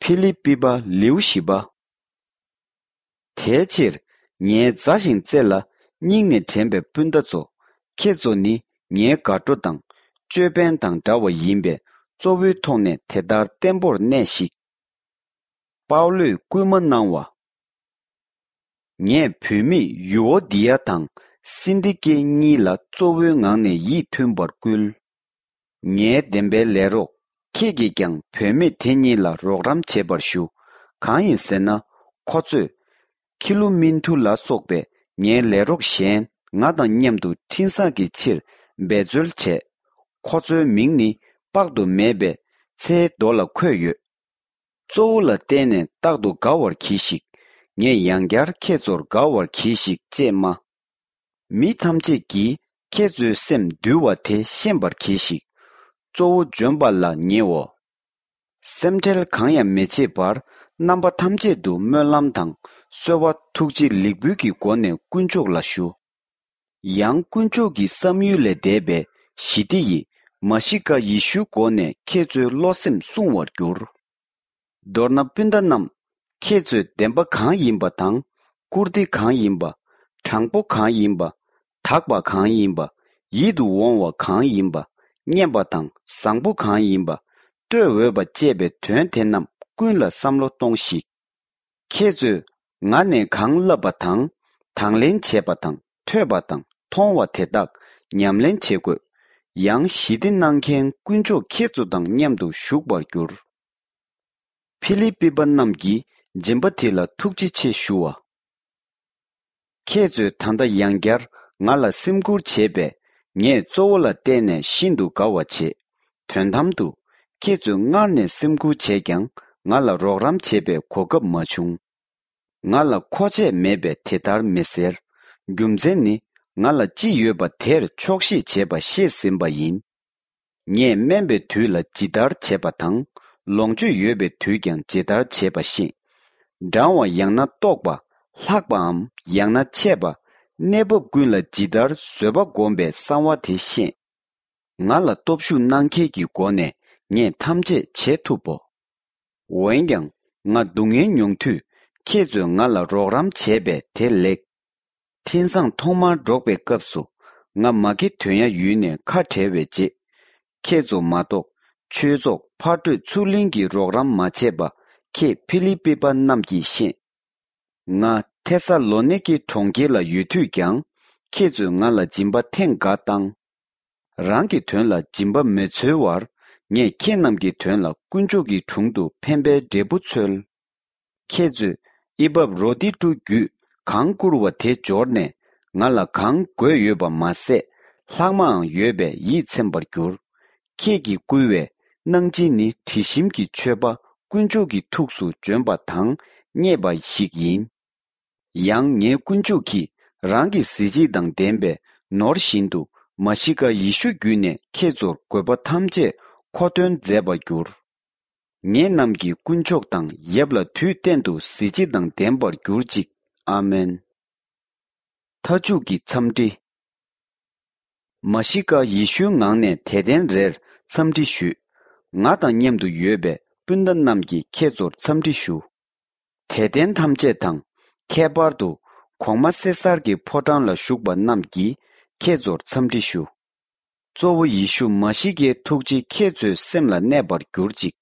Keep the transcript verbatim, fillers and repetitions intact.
ཕི་ལི་པི་པ་ལེའུ་བཞི་པ། དེའི་ཕྱིར་ངའི་མཛའ་ཞིང་བརྩེ་ལ་སྙིང་ནས་དྲན་པའི་སྤུན་ཟླ་ཚོ། ཁྱེད་ཚོ་ནི་ངའི་དགའ་སྤྲོ་དང་ཅོད་པན་དང་འདྲ་བ་ཡིན་པས། གཙོ་བོའི་ཐོག་ནས་དེ་ལྟར་བརྟན་པོར་གནས་ཤིག་པའུ་ལོས་སྐུལ་མ་གནང་བ། ངས་བུད་མེད་ཡུ་ཨོ་དི་ཡ་དང་སིན་ཏི་ཀེ་གཉིས་ལ་གཙོ་བོའི་ངང་ནས་ཡིད་མཐུན་པར་བསྐུལ། ངའི་བདེན་པའི་ལས་རོགས་ཁྱེད་ཀྱིས་ཀྱང་བུད་མེད་དེ་གཉིས་ལ་རོགས་རམ་བྱེད་པར་ཞུ། གང་ཡིན་ཟེར་ན། ཁོ་ཚོས་ཁི་ལུ་མིན་ཐུ་ལ་སོགས་པའི་ངའི་ལས་རོགས་གཞན་ང་དང་མཉམ་དུ་འཕྲིན་བཟང་གི་ཕྱིར་འབད་རྩོལ་བྱས། ཁོ་ཚོའི་མིང་ནི་དཔག་ཏུ་མེད་པའི་ཚེའི་མདོ་ལ་འཁོད་ཡོད། གཙོ་བོ་ལ་བརྟེན་ནས་རྟག་ཏུ་དགའ་བར་གྱིས་ཤིག་ངས་ཡང་བསྐྱར་ཁྱེད་ཚོར་དགའ་བར་གྱིས་ཤིག་ཅེས་སྨྲ། མི་ཐམས་ཅད་ཀྱིས་ཁྱེད་ཚོའི་སེམས་འདུལ་བ་དེ་ཤེས་པར་གྱིས་ཤིག་གཙོ་བོ་འབྱོན་པ་ལ་ཉེའོ། སེམས་ཁྲལ་གང་ཡང་མི་བྱེད་པར། རྣམ་པ་ཐམས་ཅད་དུ་སྨོན་ལམ་དང་གསོལ་བ། ཐུགས་རྗེ་ལེགས་འབུལ་གྱི་སྒོ་ནས་དཀོན་མཆོག་ལ་ཞུ། ཡང་དཀོན་མཆོག་གི་བསམ་ཡུལ་ལས་འདས་པའི་ཞི་བདེ་ཡིས་མ་ཤི་ཀ་ཡེ་ཤུའི་སྒོ་ནས་ཁྱེད་ཚོའི་བློ་སེམས་བསྲུང་བར་འགྱུར། མདོར་ན་སྤུན་ཟླ་རྣམས། ཁྱེད་ཚོས་བདེན་པ་གང་ཡིན་པ་དང་། བཀུར་སྟི་གང་ཡིན་པ། དྲང་པོ་གང་ཡིན་པ། དག་པ་གང་ཡིན་པ། ཡིད་དུ་འོང་བ་གང་ཡིན་པ། སྙན་པ་དང་བཟང་པོ་གང་ཡིན་པ། བསྟོད་འོས་པ་བཅས་པའི་དོན་དེ་རྣམས་ཀུན་ལ་བསམ་བློ་གཏོང་ཞིག་ཁྱེད་ཚོས་ང་ནས་གང་བསླབས་པ་དང་། དང་ལེན་བྱས་པ་དང་། ཐོས་པ་དང་མཐོང་བ་དེ་དག་ཉམས་ལེན་བྱེད་དགོས། ཡང་ཞི་བདེ་གནང་མཁན་དཀོན་མཆོག་ཁྱེད་ཚོ་དང་མཉམ་དུ་བཞུགས་པར་འགྱུར། ཕི་ལི་པི་པ་རྣམས་ཀྱི་སྦྱིན་པ་དེ་ལ་ཐུགས་རྗེ་ཆེ་ཞུ་བ། ཁྱེད་ཚོས་ད་ལྟ་ཡང་བསྐྱར་ང་ལ་སེམས་ཁུར་བྱས་པས། ངས་གཙོ་བོ་ལ་བརྟེན་ནས་ཤིན་ཏུ་དགའ་བ་བྱེད། དོན་དམ་དུ། ཁྱེད་ཚོས་སྔར་ནས་སེམས་ཁུར་བྱས་ཀྱང་། ང་ལ་རོགས་རམ་བྱེད་པའི་གོ་སྐབས་མ་བྱུང་། ང་ལ་མཁོ་ཆས་མེད་པས་དེ་ལྟར་མི་ཟེར། རྒྱུ་མཚན་ནི། ང་ལ་ཅི་ཡོད་པ་དེར་ཆོག་ཤེས་བྱེད་པ་ཤེས་ཟིན་པ་ཡིན། ངས་དམན་པའི་དུས་ལ་ཇི་ལྟར་བྱེད་པ་དང་། ལོངས་སྤྱོད་ཡོད་པའི་དུས་ཀྱང་ཇི་ལྟར་བྱེད་པ་ཤེས། འགྲང་བ་ཡང་ན་ལྟོགས་པ། ལྷག་པའམ་ཡང་ན་ཆད་པ། གནས་བབ་ཀུན་ལ་ཇི་ལྟར་བཟོད་པ་བསྒོམ་པའི་གསང་བ་དེ་ཤེས། ང་ལ་སྟོབས་ཤུགས་གནང་མཁན་གྱི་སྒོ་ནས་ངས་ཐམས་ཅད་བྱེད་ཐུབ་བོ། འོན་ཀྱང་། ང་སྡུག་བསྔལ་མྱོང་དུས། ཁྱེད་ཚོས་ང་ལ་རོགས་རམ་བྱས་པས་དེ་ལེགས། འཕྲིན་བཟང་ཐོག་མར་སྒྲོག་པའི་སྐབས་སུ། ང་མ་ཀེ་དོན་ཡ་ཡུལ་ནས་ཁ་བྲལ་བའི་རྗེས། ཁྱེད་ཚོ་མ་གཏོགས། ཆོས་ཚོགས་ཕར་སྤྲོད་ཚུར་ལེན་གྱི་རོགས་རམ་མ་བྱས་པ། ཁྱེད་ཕི་ལི་པི་པ་རྣམས་ཀྱིས་ཤེས། ང་ཐེ་ས་ལོ་ནེ་ཀེ་གྲོང་ཁྱེར་ལ་ཡོད་དུས་ཀྱང་། ཁྱེད་ཚོས་ང་ལ་སྦྱིན་པ་ཐེངས་འགའ་བཏང་། རང་གི་དོན་ལ་སྦྱིན་པ་མི་འཚོལ་བར། ངས་ཁྱེད་རྣམས་ཀྱི་དོན་ལ་དཀོན་མཆོག་གི་དྲུང་དུ་ཕན་པའི་འབྲས་བུ་འཚོལ། ཁྱེད་ཚོས་ཨི་པབ་རོ་ཏི་ཀྲུ་བརྒྱུད་གང་བསྐུར་བ་དེ་འབྱོར་ནས། ང་ལ་གང་དགོས་ཡོད་པ་མ་ཟད། ལྷག་མའང་ཡོད་པས་ཡིད་ཚིམ་པར་འགྱུར། ཁྱེད་ཀྱིས་བསྐུལ་བའི་གནང་སྦྱིན་ནི། དྲི་ཞིམ་གྱི་མཆོད་པ་དཀོན་མཆོག་གི་ཐུགས་སུ་འབྱོན་པ་དང་མཉེས་པ་ཞིག་ཡིན། ཡང་ངའི་དཀོན་མཆོག་གིས་རང་གི་གཟི་བརྗིད་དང་ལྡན་པའི་ནོར་བཞིན་དུ། མ་ཤི་ཀ་ཡེ་ཤུ་བརྒྱུད་ནས་ཁྱེད་ཚོར་དགོས་པ་ཐམས་ཅད་མཁོ་འདོན་མཛད་པར་འགྱུར། ངེད་རྣམས་ཀྱི་དཀོན་མཆོག་དང་། ཡབ་ལ་དུས་གཏན་དུ་གཟི་བརྗིད་དང་ལྡན་པར་གྱུར་ཅིག་ཨ་མེན། མཐའ་མཇུག་གི་འཚམས་འདྲི། མ་ཤི་ཀ་ཡེ་ཤུའི་ངང་ནས་དད་ལྡན་རེར་འཚམས་འདྲི་ཞུས། ང་དང་མཉམ་དུ་ཡོད་པའི་སྤུན་ཟླ་རྣམས་ཀྱིས་ཁྱེད་ཚོར་འཚམས་འདྲི་ཞུ། དད་ལྡན་ཐམས་ཅད་དང་། ཁྱད་པར་དུ་གོང་མ་སེ་སར་གྱི་ཕོ་བྲང་ལ་བཞུགས་པ་རྣམས་ཀྱིས་ཁྱེད་ཚོར་འཚམས་འདྲི་ཞུ། གཙོ་བོ་ཡེ་ཤུ་མ་ཤི་ཀའི་ཐུགས་རྗེ་ཁྱེད་ཚོའི་སེམས་ལ་གནས་པར་གྱུར་ཅིག